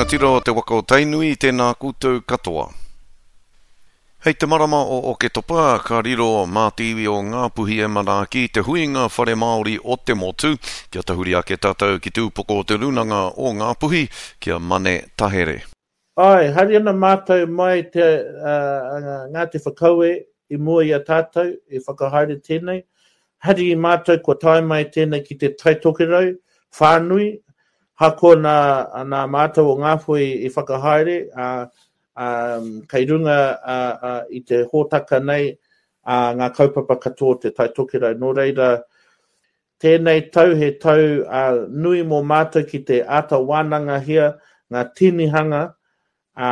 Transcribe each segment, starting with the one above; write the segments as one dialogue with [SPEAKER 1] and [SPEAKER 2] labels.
[SPEAKER 1] rangatira o te waka o Tainui, tēnā koutou katoa. Hei te marama o Oketopa, ka riro mā te iwi o Ngāpuhi e manaaki te huinga whare Māori o te motu, kia tahuri ake tātou ki te upoko o te Rūnanga o Ngāpuhi, ki a Mane Tahere.
[SPEAKER 2] Āe, haere ana mātou mai te Ngāti Whakaue i mua i a tātou i whakahaere tēnei. Hari i mātou kua tae mai tēnei ki te Tai Tokerau whānui, hakoa nā, nā mātou o Ngāpuhi i whakahaere, ā, ā, kei runga ā, ā, i te hōtaka nei ā, ngā kaupapa katoa o te Tai Tokerau. Nō reira, tēnei tau he tau ā, nui mō mātou ki te āta wānangahia ngā tinihanga ā,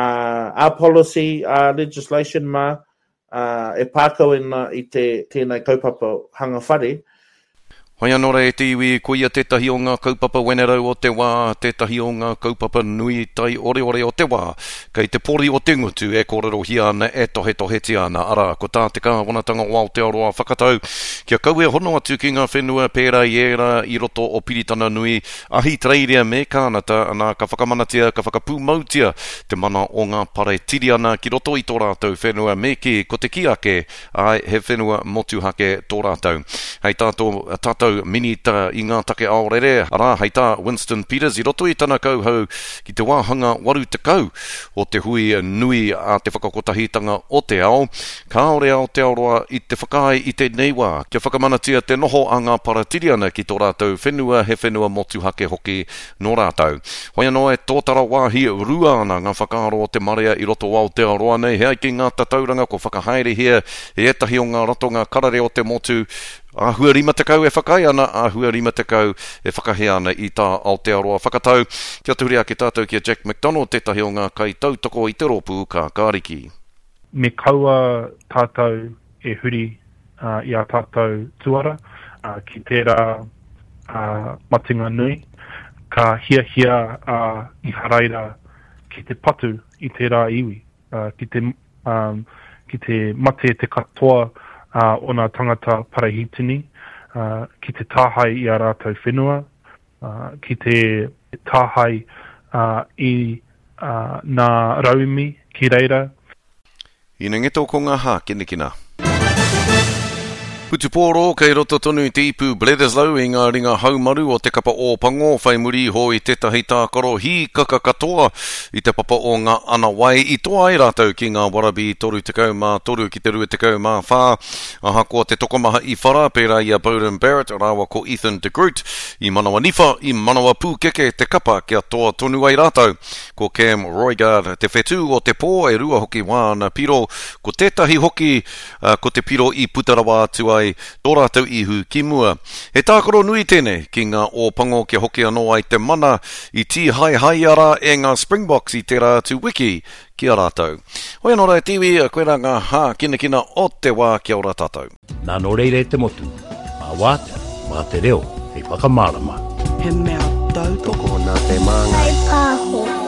[SPEAKER 2] ā-policy, ā-legislation mā, ā, e pā kau ana i te, tēnei kaupapa hanga whare.
[SPEAKER 1] Whai anō rā e te iwi, koia tētahi o ngā kaupapa wenerau o te wā, tētahi o ngā kaupapa nui taioreore o te wā, kei te pori o te ngutu e kōrerohia ana, e tohetohetia ana, arā, ko tā te Kāwanatanga o Aotearoa whakatau kia kaua e hono atu ki ngā whenua pērā i ērā i roto o Piritana Nui, Ahitereiria me Kānata, anā, ka whakamanatia, ka whakapūmautia te mana o ngā Paretiriana ki roto i tō rātou whenua me kī, ko te kī ake, āe, he whenua motuhake tō rātou. Hei tā tō tātou Minita i ngā take aorere, arā, hei tā Winston Peters i roto i tana kauhau ki te wāhanga 80 o te hui nui a te Whakakotahitanga o te Ao, kāore Aotearoa i te whakaae i tēnei wā kia whakamanatia te noho a ngā Paratiriana ki tō rātou whenua, he whenua motuhake hoki nō rātou. Hoi anō e tōtara wāhi rua ana ngā whakaaro o te marea i roto o Aotearoa nei, he ai ki ngā tatauranga kua whakahaerehia e ētahi o ngā ratonga karere o te motu, āhua 50 e whakaae ana, āhua 50 e whakahē ana i tā Aotearoa whakatau. Kia tahuri ake tātou ki a Jack McDonald, tētahi o ngā kaitautoko i te rōpū Kākāriki.
[SPEAKER 3] Me kaua tātou e huri i ā tātou tuara ki tērā matenga nui, ka hiahia a Iharaira ki te patu i tērā iwi, ki te, ki te mate te katoa o nā tangata Parahitini, ki te tāhae i ā rātou whenua, ki te tāhae i nā rauemi ki reira.
[SPEAKER 1] Ina ngeto ko ngā hākinakina. Whutupōro kei roto tonu te ipu Bledisloe i ngā ringa haumaru o te kapa Ōpango whai muri iho i tētahi tākaro hīkaka katoa i te papa o ngā ana wai i toa ai rātou ki ngā Wallaby 33 ki te 24 ahakoa te tokomaha i whara pērā i a Beauden Barrett rāua ko Ethan de Groot i manawa niwha i manawa pūkeke te kapa kia toa tonu ai rātou. Ko Cam Roigard te whetū o te pō, e rua hoki wāna piro, ko tētahi hoki ko te piro i puta rawa atu ai tō rātou ihu ki mua. He tākaro nui tēnei ki ngā Ōpango kia hoki anō ai te mana i tīhaehaea rā e ngā Springboks i tērā atu wiki ki a rātou. Hoi anō rā e te iwi, koirā ngā hākinakina o te wā, kia ora tātou.
[SPEAKER 4] Nā nō reira e te motu, mā wātea, mā te reo hei whakamārama.
[SPEAKER 5] He mea tautoko.
[SPEAKER 6] Tokona te māngai.
[SPEAKER 7] Whai pāho.